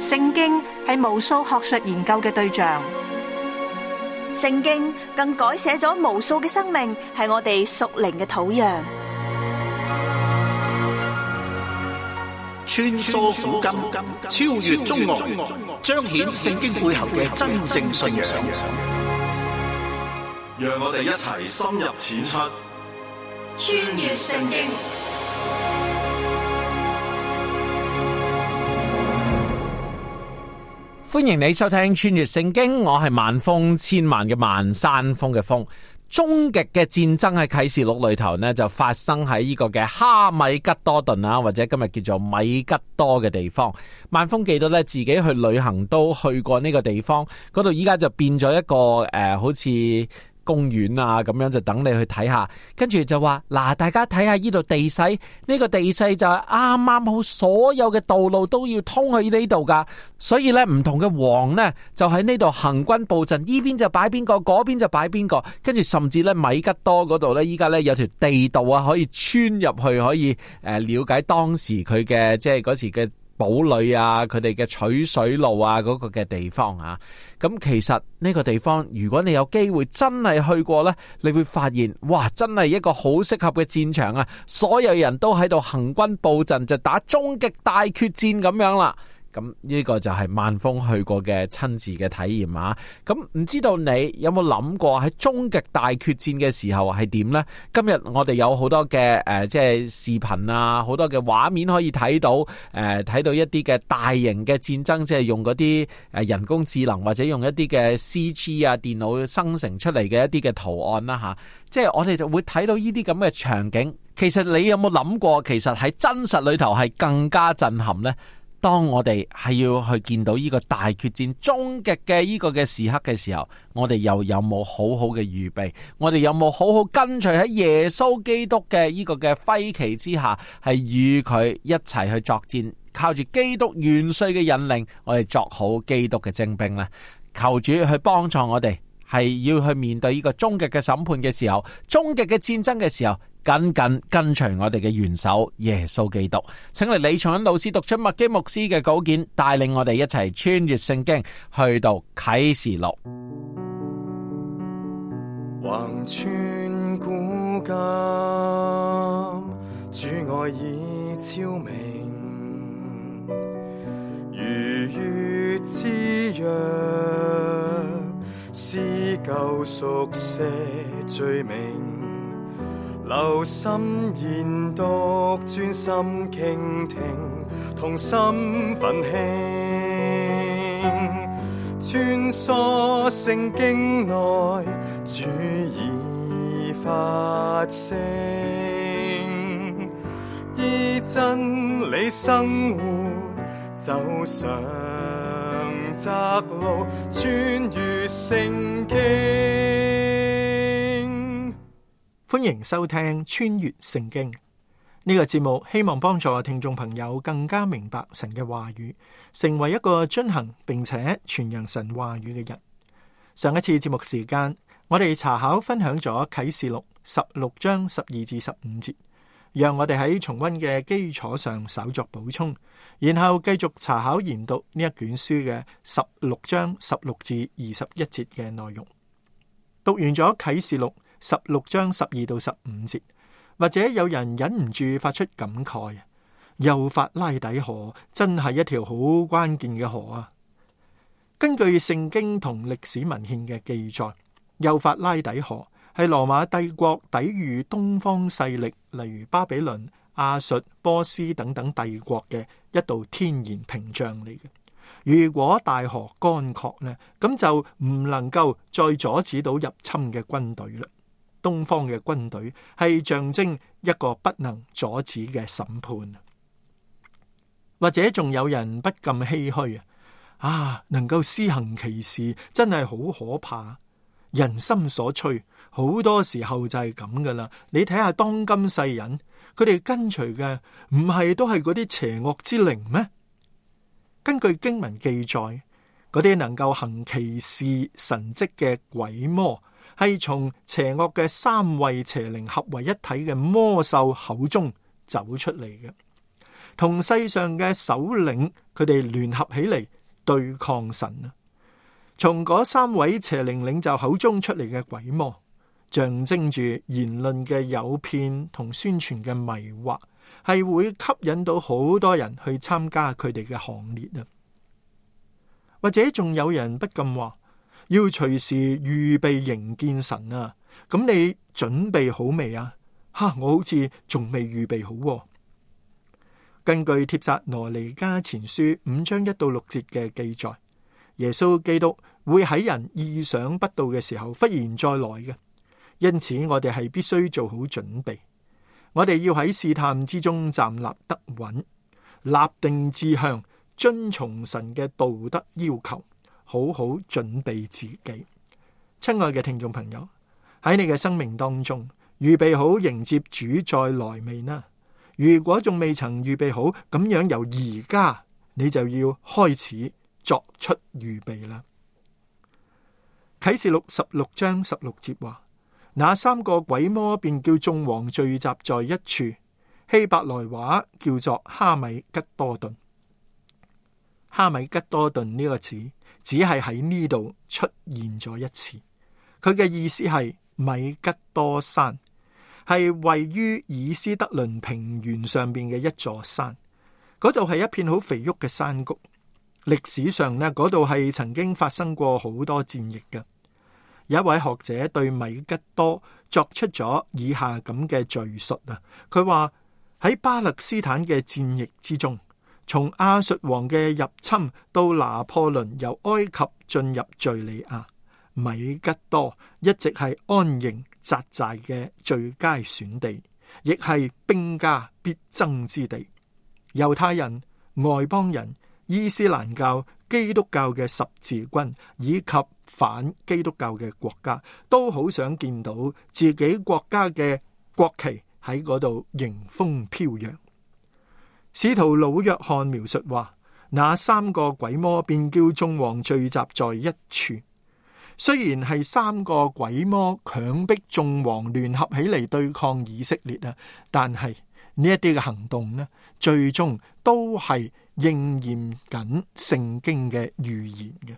聖經係無數學術研究嘅對象，聖經更改寫咗無數嘅生命，係我哋屬靈嘅土壤。穿梭古今，超越中外，彰顯聖經背後嘅真正信仰。讓我哋一齊深入淺出，穿越聖經。歡迎你收聽穿越聖經，我係萬峰，千萬嘅萬山峰嘅峰。終極嘅戰爭喺啟示錄裏頭呢，就發生喺呢個嘅哈米吉多頓啊，或者今日叫做米吉多嘅地方。萬峰記得咧，自己去旅行都去過呢個地方，嗰度依家就變咗一個好似公園啊咁樣，就等你去睇下。跟住就話嗱，大家睇下呢度地勢，呢個地勢就係啱啱好，所有嘅道路都要通去呢度噶。所以咧，唔同嘅王呢，就喺呢度行軍布陣，呢邊就擺邊個，嗰邊就擺邊個。跟住甚至咧，米吉多嗰度咧，依家咧有條地道啊，可以穿入去，可以了解當時佢嘅即係嗰時嘅堡壘啊，佢哋嘅取水路啊，嗰個嘅地方啊。咁其實呢個地方，如果你有機會真係去過呢，你會發現，哇，真係一個好適合嘅戰場啊！所有人都喺度行軍布陣，就打終極大決戰咁樣啦。咁呢個就係萬峰去過嘅親自嘅體驗啊！咁唔知道你有冇諗過喺終極大決戰嘅時候係點呢？今日我哋有好多嘅即係視頻啊，好多嘅畫面可以睇到，睇到一啲嘅大型嘅戰爭，即係用嗰啲人工智能或者用一啲嘅 CG 啊，電腦生成出嚟嘅一啲嘅圖案啦吓，即係我哋就會睇到呢啲咁嘅場景。其實你有冇諗過，其實喺真實裏頭係更加震撼呢？當我哋係要去見到呢個大決戰終極嘅呢個嘅時刻嘅時候，我哋又有冇好好嘅預備？我哋有冇好好跟隨喺耶穌基督嘅呢個嘅揮旗之下，係與佢一齊去作戰，靠住基督元帥嘅引領，我哋作好基督嘅精兵呢？求主去幫助我哋，係要去面對呢個終極嘅審判嘅時候，終極嘅戰爭嘅時候，緊緊跟隨我哋嘅元首耶穌基督。請嚟李松恩老師讀出麥基牧師嘅稿件，帶領我哋一齊穿越聖經，去到啟示錄。橫穿古今，主愛已昭明，如月之約，施救贖赦罪名。留心研讀，專心傾聽，同心奮興，穿梭聖經內，主已發聲，依真理生活，走上窄路，穿越聖經。歡迎收聽穿越聖經呢個節目，希望幫助聽眾朋友更加明白神嘅話語，成為一個遵行並且傳揚神話語嘅人。上一次節目時間，我哋查考分享咗啟示錄16章12至15節，讓我哋喺重溫嘅基礎上稍作補充，然後繼續查考研讀呢一卷書嘅16章16至21節嘅內容。讀完咗啟示錄16章12到15節，或者有人忍唔住發出感慨，幼發拉底河真係一條好關鍵嘅河啊！根據聖經同歷史文獻嘅記載，幼發拉底河係羅馬帝國抵禦東方勢力，例如巴比倫、亞述、波斯等等帝國嘅一道天然屏障嚟嘅。如果大河乾涸呢，咁就唔能夠再阻止到入侵嘅軍隊啦。東方嘅軍隊係象徵一個不能阻止嘅審判。或者仲有人不禁唏噓啊，能夠施行奇事真係好可怕，人心所趨，好多時候就係咁噶啦。你睇下當今世人，佢哋跟隨嘅唔係都係嗰啲邪惡之靈咩？根據經文記載，嗰啲能夠行奇事神蹟嘅鬼魔，係從邪惡嘅三位邪靈合為一體嘅魔獸口中走出嚟嘅，同世上嘅首領佢哋聯合起嚟對抗神啊。從嗰3位邪靈領袖口中出嚟嘅鬼魔，象徵住言論嘅誘騙同宣傳嘅迷惑，係會吸引到好多人去參加佢哋嘅行列啊。或者仲有人不禁話，要隨時預備迎見神啊，咁你準備好未啊？我好似仲未預備好喎。根據帖撒羅尼迦前書5章1到6節嘅記載，耶穌基督會喺人意想不到嘅時候忽然再來嘅，因此我哋係必須做好準備。我哋要喺試探之中站立得穩，立定志向，遵從神嘅道德要求，好好準備自己。親愛嘅聽眾朋友，喺你嘅生命當中預備好迎接主再來未呢？如果仲未曾預備好，咁樣由而家你就要開始作出預備啦。啟示錄16章16節話，那3個鬼魔便叫眾王聚集在一處，希伯來話叫做哈米吉多頓。哈米吉多頓呢個字只係喺呢度出現咗一次，佢嘅意思係米吉多山，係位於以斯德倫平原上邊嘅一座山，嗰度係一片好肥沃嘅山谷。歷史上呢，嗰度係曾經發生過好多戰役嘅。有一位學者對米吉多作出咗以下咁嘅敘述啊，佢話喺巴勒斯坦嘅戰役之中，從亞述王嘅入侵到拿破崙由埃及進入敘利亞，米吉多一直係安營紮寨嘅最佳選地，亦係兵家必爭之地。猶太人、外邦人、伊斯蘭教、基督教嘅十字軍以及反基督教嘅國家，都好想見到自己國家嘅國旗喺嗰度迎風飄揚。使徒老約翰描述話，那3個鬼魔便叫眾王聚集在一處。雖然係3個鬼魔強迫眾王聯合起嚟對抗以色列啊，但係呢一啲嘅行動呢，最終都係應驗緊聖經嘅預言嘅。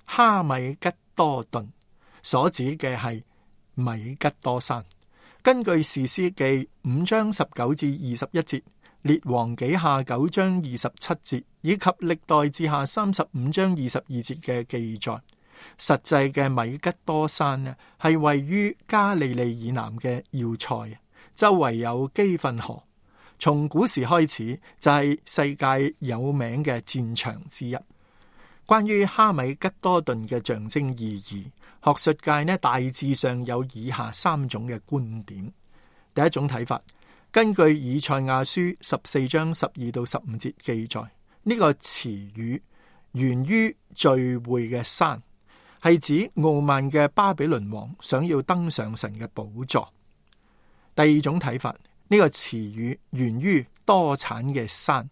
哈米吉多頓所指嘅係米吉多山。根據士師記5章19至21節、列王紀下9章27節以及歷代志下35章22節嘅記載，實際嘅米吉多山呢，係位於加利利以南嘅要塞，周圍有基訓河。從古時開始就係世界有名嘅戰場之一。關於哈米吉多頓嘅象徵意義，學術界呢大致上有以下3種嘅觀點。第一種睇法，根據以賽亞書14章12到15節記載，呢個詞語源於聚會嘅山，係指傲慢嘅巴比倫王想要登上神嘅寶座。第二種睇法，呢個詞語源於多產嘅山，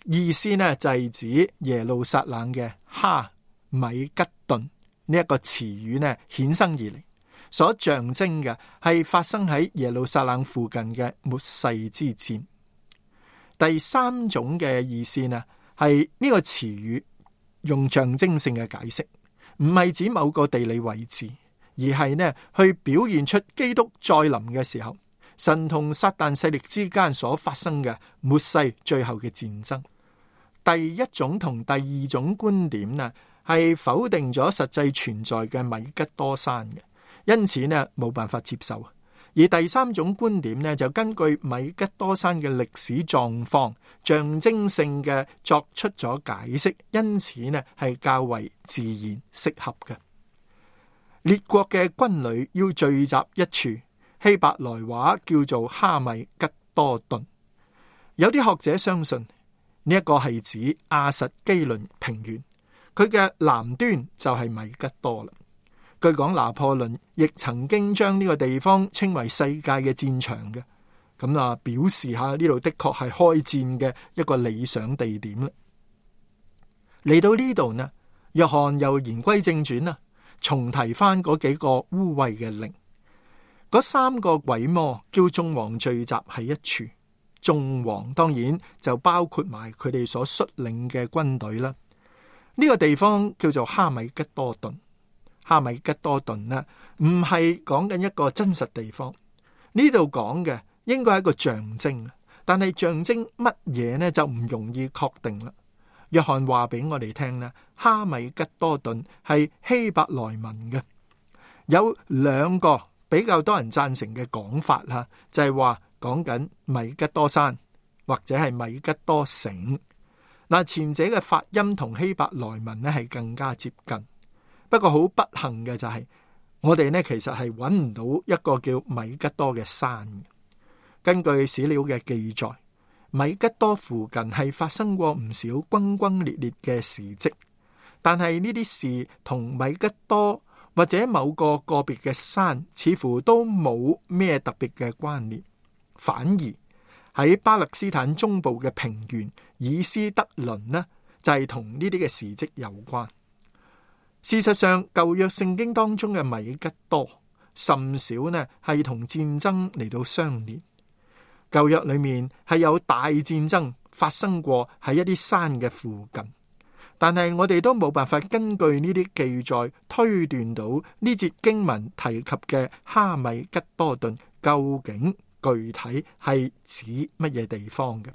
意思呢就係指耶路撒冷嘅哈米吉頓呢一個詞語呢衍生而嚟，所象徵嘅係發生喺耶路撒冷附近嘅末世之戰。第三種嘅意思呢係呢個詞語用象徵性嘅解釋，唔係指某個地理位置，而係呢去表現出基督再臨嘅時候，神同撒旦勢力之間所發生嘅末世最後嘅戰爭。第一種同第二種觀點呢，係否定咗實際存在嘅米吉多山嘅，因此呢冇辦法接受。而第三種觀點呢，就根據米吉多山嘅歷史狀況，象徵性嘅作出咗解釋，因此呢係較為自然適合嘅。列國嘅軍旅要聚集一處，希伯來話叫做哈米吉多頓。有啲學者相信呢一個係指亞實基倫平原，佢嘅南端就係米吉多啦。據講拿破崙亦曾經將呢個地方稱為世界嘅戰場嘅，咁表示下呢度的確係開戰嘅一個理想地點啦。嚟到呢度呢，約翰又言歸正傳啦，重提翻嗰幾個污穢嘅靈。嗰3個鬼魔叫眾王聚集喺一處，眾王當然就包括埋佢哋所率領嘅軍隊啦。呢個地方叫做哈米吉多頓。哈米吉多頓呢，唔係講緊一個真實地方，呢度講嘅應該係一個象徵，但係象徵乜嘢呢就唔容易確定啦。約翰話俾我哋聽呢，哈米吉多頓係希伯來文嘅，有兩個比較多人贊成嘅講法啦，就係話講緊米吉多山或者係米吉多城。嗱，前者嘅發音同希伯來文呢係更加接近，不過好不幸嘅就係我哋呢其實係揾唔到一個叫米吉多嘅山。根據史料嘅記載，米吉多附近係發生過唔少轟轟烈烈嘅事蹟，但係呢啲事同米吉多或者某個個別嘅山似乎都冇咩特別嘅關聯，反而喺巴勒斯坦中部嘅平原以斯德倫呢，就係同呢啲嘅事蹟有關。事實上，舊約聖經當中嘅米吉多甚少呢係同戰爭嚟到相連。舊約裏面係有大戰爭發生過喺一啲山嘅附近，但係我哋都冇辦法根據呢啲記載推斷到呢節經文提及嘅哈米吉多頓究竟具體係指乜嘢地方嘅。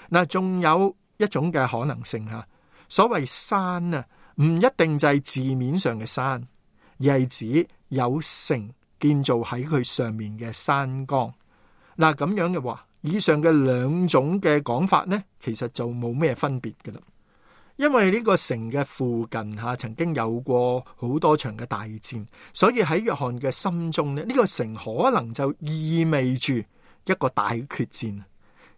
嗱，仲有一種嘅可能性吓，所謂山啊，唔一定就係字面上嘅山，而係指有城建造喺佢上面嘅山崗。嗱，咁樣嘅話，以上嘅兩種嘅講法呢，其實就冇咩分別㗎啦。因為呢個城嘅附近曾經有過好多場嘅大戰，所以喺約翰嘅心中呢，呢個城可能就意味住一個大決戰。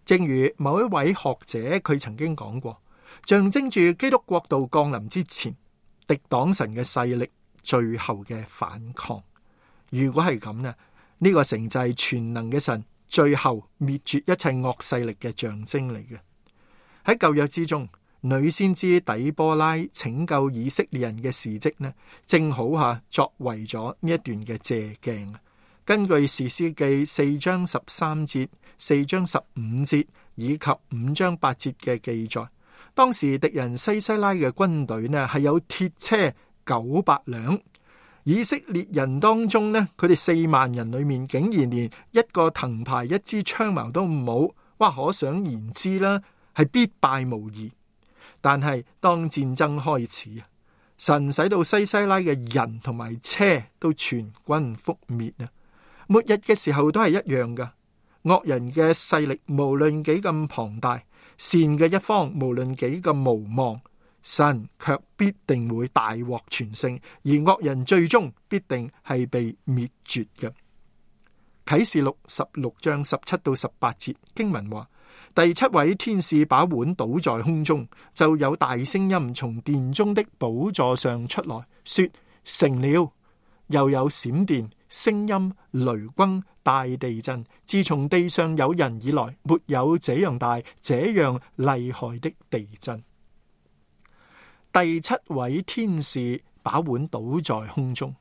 正如某一位學者佢曾經講過，象徵住基督國度降臨之前，敵擋神嘅勢力最後嘅反抗。如果係咁呢，呢個城就係全能嘅神最後滅絕一切惡勢力嘅象徵嚟嘅。喺舊約之中，女先知底波拉拯救以色列人嘅事蹟呢，正好作為咗呢一段嘅借鏡。根據士師記4章13節、4章15節以及5章8節嘅記載，當時敵人西西拉嘅軍隊呢係有鐵車900輛。以色列人當中呢，佢哋4萬人裏面竟然連一個藤牌一支槍矛都冇，哇！可想而知啦，係必敗無疑。但係當戰爭開始，神使到西西拉嘅人同埋車都全軍覆滅啊！末日嘅時候都係一樣噶，惡人嘅勢力無論幾咁龐大，善嘅一方無論幾咁無望，神卻必定會大獲全勝，而惡人最終必定係被滅絕嘅。啟示錄16章17到18節經文話，第7位天使把碗倒在空中，就有大聲音從殿中的寶座上出來，說成了。又有閃電、聲音、雷轟、大地震，自從地上有人以來，沒有這樣大、這樣厲害的地震。第7位天使把碗倒在空中，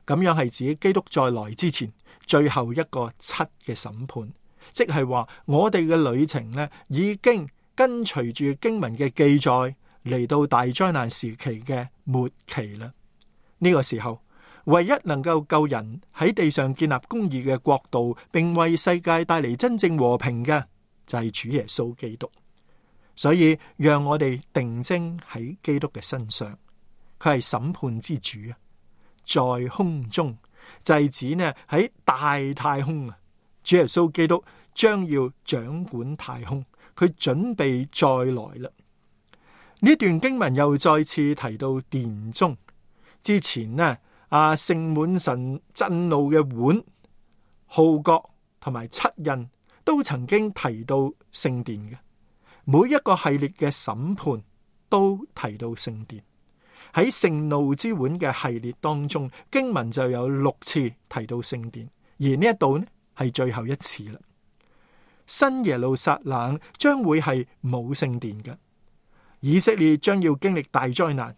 咁樣係指基督再來之前最後一個7嘅審判，即係話我哋嘅旅程呢，已經跟隨住經文嘅記載嚟到大災難時期嘅末期啦。呢個時候，唯一能夠救人喺地上建立公義嘅國度，並為世界帶嚟真正和平嘅，就係主耶穌基督。所以讓我哋定睛喺基督嘅身上，佢係審判之主啊！在空中就係指呢喺大太空啊，主耶穌基督將要掌管太空，佢準備再來啦。呢段經文又再次提到殿中，之前呢盛滿神震怒嘅碗、號角同埋七印都曾經提到聖殿嘅。每一個系列嘅審判都提到聖殿。喺盛怒之碗嘅系列當中，經文就有6次提到聖殿，而呢一度呢係最後一次啦。新耶路撒冷將會係冇聖殿嘅，以色列將要經歷大災難，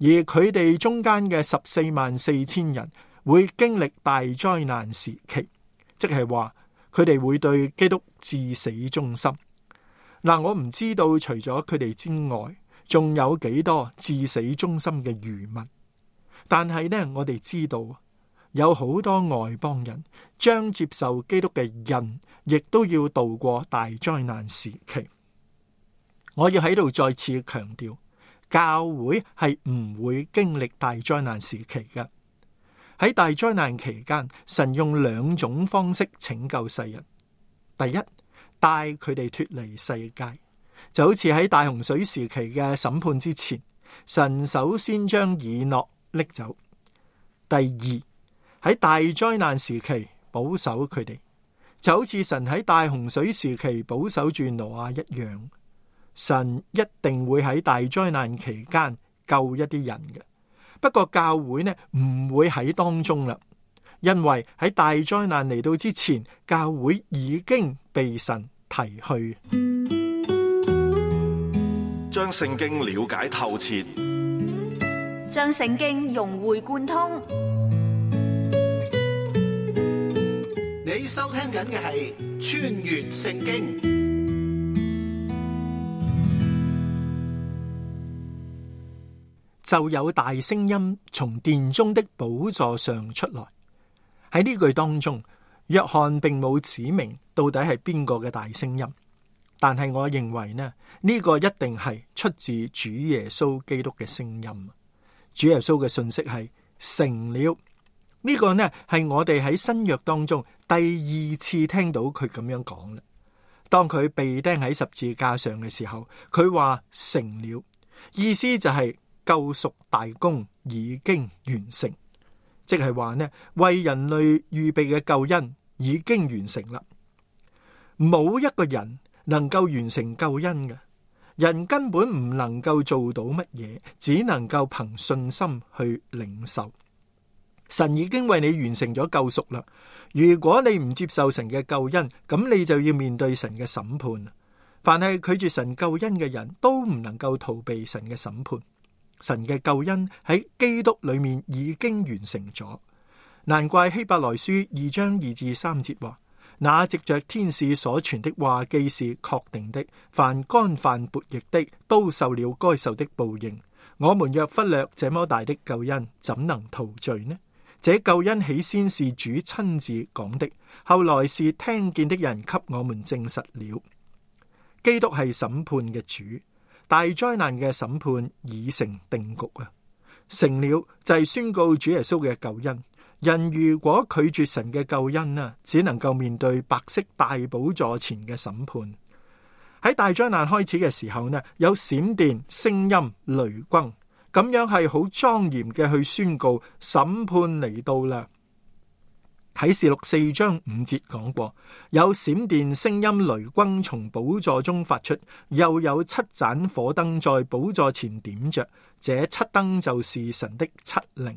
而佢哋中間嘅144000人會經歷大災難時期，即係話佢哋會對基督至死忠心。嗱，我唔知道除咗佢哋之外，仲有幾多至死忠心嘅餘民。但係呢，我哋知道有好多外邦人將接受基督嘅人，亦都要度過大災難時期。我要喺度再次強調，教會係唔會經歷大災難時期嘅。喺大災難期間，神用兩種方式拯救世人。第一，帶佢哋脫離世界，就好似喺大洪水時期嘅審判之前，神首先將以諾拎走。第二，喺大災難時期保守佢哋，就好似神喺大洪水時期保守住挪亞一樣。神一定會喺大災難期間救一啲人嘅。不過教會呢，唔會喺當中啦，因為喺大災難嚟到之前，教會已經被神提去。將聖經了解透徹，將聖經融會貫通。你收聽緊嘅係穿越聖經。就有大聲音從殿中的寶座上出來。喺呢句當中，約翰並冇指明到底係邊個嘅大聲音，但係我認為呢個一定係出自主耶穌基督嘅聲音。主耶穌嘅信息係成了。呢個呢係我哋喺新約當中第二次聽到佢咁樣講啦。當佢被釘喺十字架上嘅時候，佢話成了，意思就係救贖大功已經完成，即係話呢，為人類預備嘅救恩已經完成啦。冇一個人能夠完成救恩嘅，人根本唔能夠做到乜嘢，只能夠憑信心去領受。神已經為你完成咗救贖啦。如果你唔接受神嘅救恩，咁你就要面對神嘅審判。凡係拒絕神救恩嘅人都唔能夠逃避神嘅審判。神嘅救恩喺基督裏面已經完成咗，難怪希伯來書2章2至3節話：那藉着天使所傳的話既是確定的，凡干犯悖逆的都受了該受的報應。我們若忽略這麼大的救恩，怎能逃罪呢？這救恩起先是主親自講的，後來是聽見的人給我們證實了。基督係審判嘅主。大災難嘅審判已成定局啊！成了就係宣告主耶穌嘅救恩。人如果拒絕神嘅救恩啊，只能夠面對白色大寶座前嘅審判。喺大災難開始嘅時候呢，有閃電、聲音、雷轟，咁樣係好莊嚴嘅去宣告審判嚟到啦。啟示錄4章5節講過，有閃電、聲音、雷轟從寶座中發出，又有7盞火燈在寶座前點着，這7燈就是神的7靈。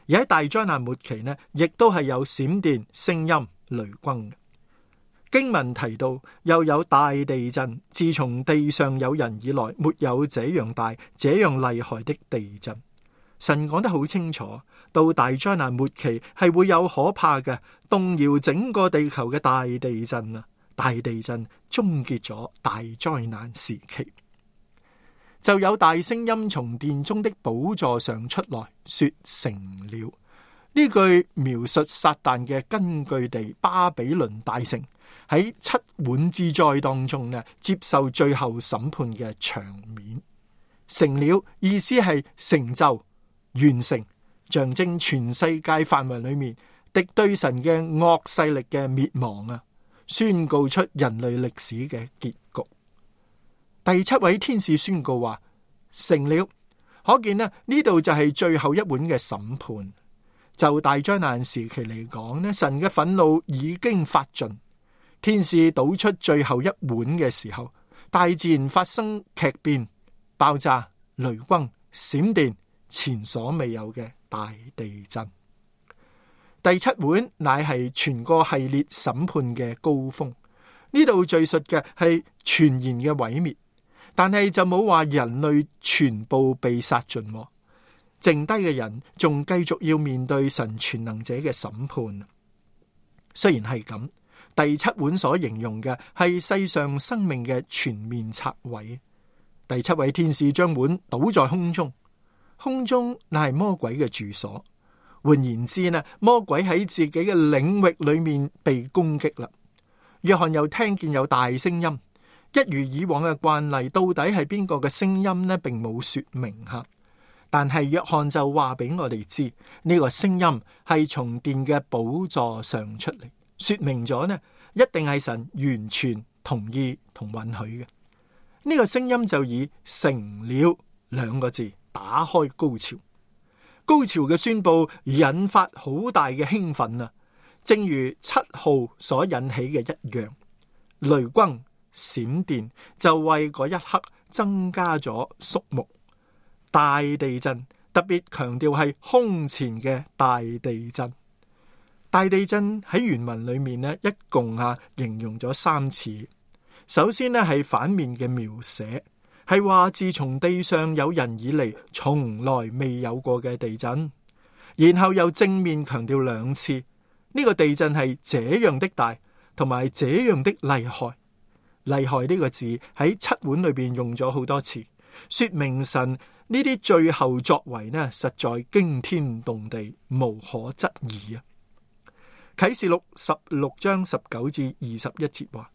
而喺大災難末期呢，亦都係有閃電、聲音、雷轟。經文提到，又有大地震，自從地上有人以來，沒有這樣大、這樣厲害的地震。神講得好清楚，到大災難末期係會有可怕嘅動搖整個地球嘅大地震啊！大地震終結咗大災難時期，就有大聲音從殿中的寶座上出來，說成了。呢句描述撒旦嘅根據地巴比倫大城喺7碗之災當中呢，接受最後審判嘅場面。成了意思係成就、完成，象徵全世界範圍裏面敵對神嘅惡勢力嘅滅亡啊，宣告出人類歷史嘅結局。第7位天使宣告話成了，可見呢度就係最後一碗嘅審判。就大災難時期嚟講呢，神嘅憤怒已經發盡，天使倒出最後一碗嘅時候，大自然發生劇變、爆炸、雷轟、閃電，前所未有嘅大地震。第7碗乃係全個系列審判嘅高峰，呢度敘述嘅係全然嘅毀滅，但係就冇話人類全部被殺盡，剩低嘅人仲繼續要面對神全能者嘅審判。雖然係咁，第七碗所形容嘅係世上生命嘅全面拆毀。第七位天使將碗倒在空中，空中乃係魔鬼嘅住所。換言之呢，魔鬼喺自己嘅領域裏面被攻擊啦。約翰又聽見有大聲音，一如以往嘅慣例，到底係邊個嘅聲音呢？並冇說明吓。但係約翰就話俾我哋知，呢個聲音係從殿嘅寶座上出嚟，說明咗呢，一定係神完全同意同允許嘅。呢個聲音就以成了兩個字打開高潮。高潮嘅宣布引發好大嘅興奮啊，正如7號所引起嘅一樣。雷轟閃電就為嗰一刻增加咗肅穆。大地震，特別強調係空前嘅大地震。大地震喺原文裏面呢，一共形容咗3次。首先呢係反面嘅描寫，係話自從地上有人以嚟，從來未有過嘅地震。然後又正面強調2次，呢個地震係這樣的大，同埋這樣的厲害。厲害呢個字喺7碗裏邊用咗好多次，說明神呢啲最後作為呢，實在驚天動地，無可質疑啊！啟示錄16章19至21節話：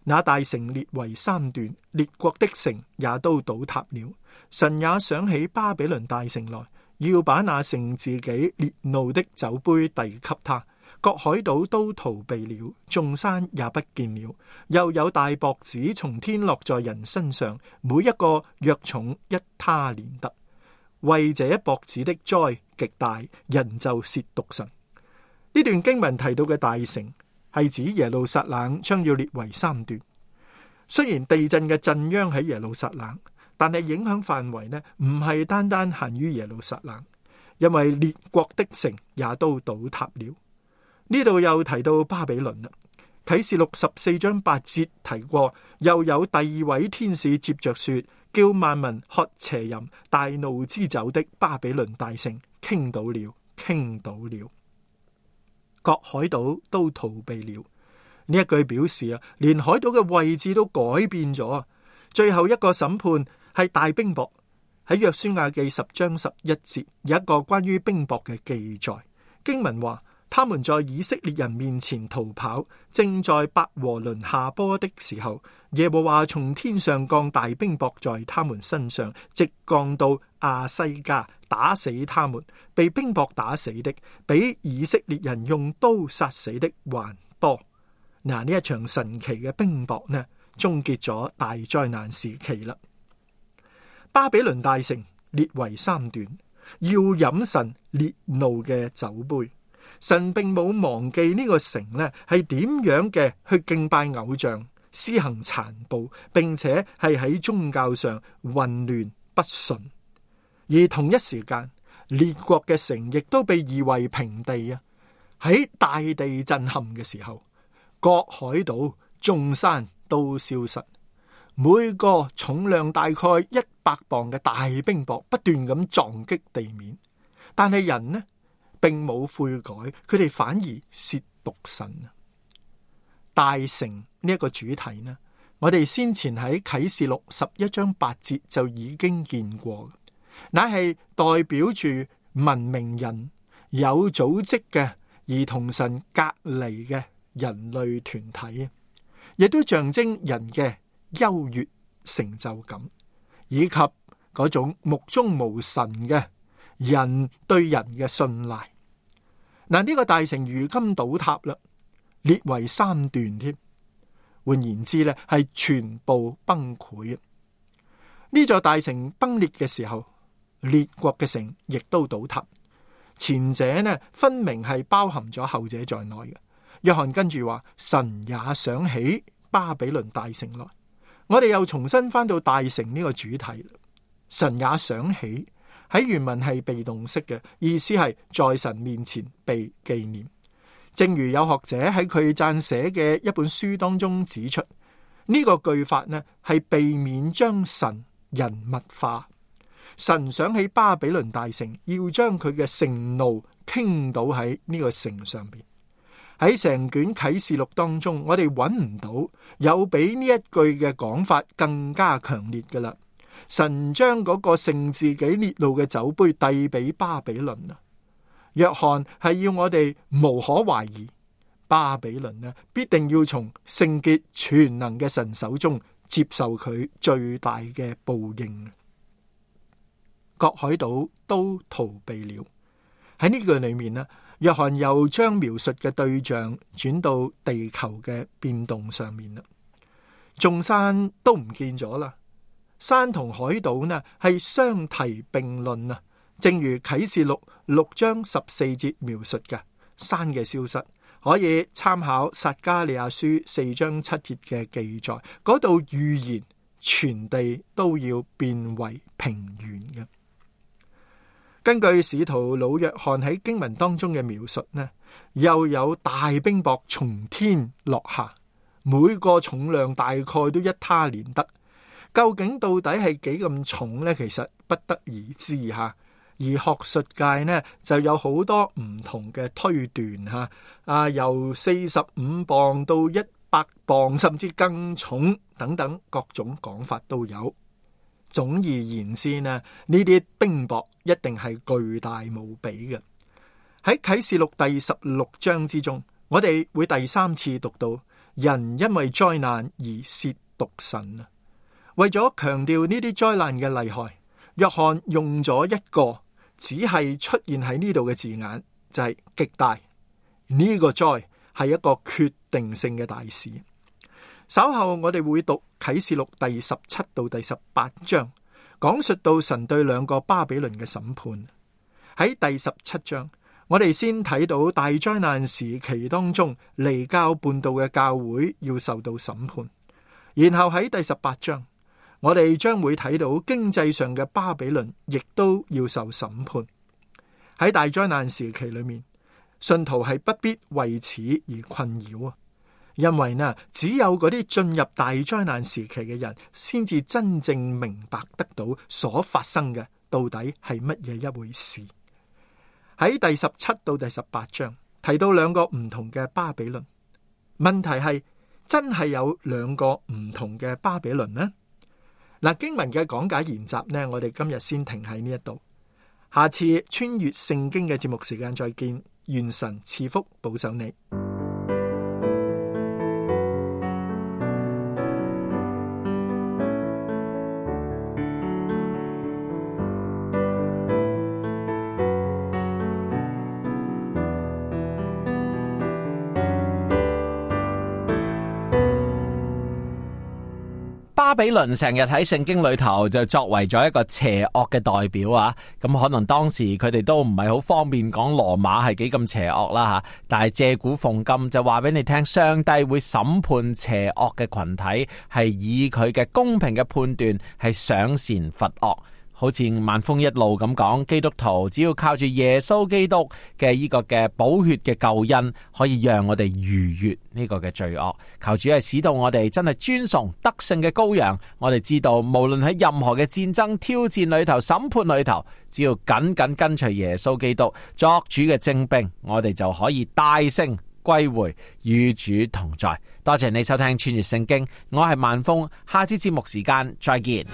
那大城裂為3段，列國的城也都倒塌了。神也想起巴比倫大城來，要把那盛自己烈怒的酒杯遞給他。各海島都逃避了，眾山也不見了。又有大雹子從天落在人身上，每一個約重1他連得。為這雹子的災極大，人就褻瀆神。呢段經文提到嘅大城係指耶路撒冷將要裂為3段。雖然地震嘅震央喺耶路撒冷，但係影響範圍呢唔係單單限於耶路撒冷，因為列國的城也都倒塌了。呢度又提到巴比倫啦。啟示錄14章8節提過，又有第2位天使接着說，叫萬民喝邪淫大怒之酒的巴比倫大城傾倒了，傾倒了。各海島都逃避了。呢一句表示連海島嘅位置都改變咗。最後一個審判係大冰雹。喺約書亞記10章11節有一個關於冰雹嘅記載。經文話，他們在以色列人面前逃跑，正在伯和倫下坡的時候，耶和華從天上降大冰雹在他們身上，直降到亞西加，打死他們。被冰雹打死的，比以色列人用刀殺死的還多。嗱，呢一場神奇嘅冰雹呢，終結咗大災難時期啦。巴比倫大城裂為3段，要飲神烈怒嘅酒杯。神並冇忘記呢個城呢係點樣嘅去敬拜偶像、施行殘暴，並且係喺宗教上混亂不順。而同一時間，列國嘅城亦都被夷為平地啊！喺大地震撼嘅時候，各海島、眾山都消失，每個重量大概100磅嘅大冰雹不斷咁撞擊地面，但係人呢，並冇悔改，佢哋反而褻瀆神。大城呢一個主題呢，我哋先前喺啟示錄11章8節就已經見過，乃係代表住文明人、有組織嘅而同神隔離嘅人類團體，亦都象徵人嘅優越成就感，以及嗰種目中無神嘅人對人嘅信賴。嗱，呢個大城如今倒塌啦，裂為3段添。換言之呢，係全部崩潰。呢座大城崩裂嘅時候，列國嘅城亦都倒塌。前者呢，分明係包含咗後者在內嘅。約翰跟住話，神也想起巴比倫大城來。我哋又重新翻到大城呢個主題。神也想起喺原文係被動式嘅，意思係在神面前被紀念。正如有學者喺佢撰寫嘅一本書當中指出，呢個句法呢係避免將神人物化。神想起巴比倫大城，要將佢嘅盛怒傾倒喺呢個城上邊。喺成卷啟示錄當中，我哋揾唔到有比呢一句嘅講法更加強烈㗎喇。神將嗰個盛自己烈怒嘅酒杯遞俾巴比倫啊！約翰係要我哋無可懷疑，巴比倫呢必定要從聖潔全能嘅神手中接受佢最大嘅報應。各海島都逃避了。喺呢句裏面呢，約翰又將描述嘅對象轉到地球嘅變動上面啦。眾山都唔見咗啦，山同海島呢係相提並論啊。正如啟示錄6章14節描述嘅山嘅消失，可以參考撒迦利亞書4章7節嘅記載，嗰度預言全地都要變為平原嘅。根據使徒老約翰喺經文當中嘅描述呢，又有大冰雹從天落下，每個重量大概都一他連得。究竟到底係幾咁重呢？其實不得而知吓。而學術界呢就有好多唔同嘅推斷吓，由45磅到100磅，甚至更重等等，各種講法都有。總而言之呢，呢啲冰雹一定係巨大無比嘅。喺啟示錄第16章之中，我哋會第3次讀到人因為災難而褻瀆神啊。為咗強調呢啲災難嘅厲害，約翰用咗一個只係出現喺呢度嘅字眼，就係極大。呢個災係一個決定性嘅大事。稍後我哋會讀啟示錄第17到第18章，講述到神對兩個巴比倫嘅審判。喺第17章，我哋先睇到大災難時期當中離教叛道嘅教會要受到審判，然後喺第18章，我哋將會睇到經濟上嘅巴比倫亦都要受審判。喺大災難時期裏面，信徒係不必為此而困擾啊！因為呢，只有嗰啲進入大災難時期嘅人，先至真正明白得到所發生嘅到底係乜嘢一回事。喺第17到第18章提到兩個唔同嘅巴比倫，問題係真係有兩個唔同嘅巴比倫呢？嗱，經文嘅講解研習呢，我哋今日先停喺呢一度，下次穿越聖經嘅節目時間再見，願神賜福保守你。巴比倫成日喺聖經裏頭就作為咗一個邪惡嘅代表啊，咁可能當時佢哋都唔係好方便講羅馬係幾咁邪惡啦吓，但係借古諷今就話俾你聽，上帝會審判邪惡嘅群體，係以佢嘅公平嘅判斷係賞善罰惡。好似萬峰一路咁講，基督徒只要靠住耶穌基督嘅呢個嘅寶血嘅救恩，可以讓我哋逾越呢個嘅罪惡。求主係使到我哋真係尊崇得勝嘅羔羊。我哋知道無論喺任何嘅戰爭挑戰裏頭、審判裏頭，只要緊緊跟隨耶穌基督作主嘅精兵，我哋就可以大勝歸回，與主同在。多謝你收聽穿越聖經，我係萬峰，下次節目時間再見。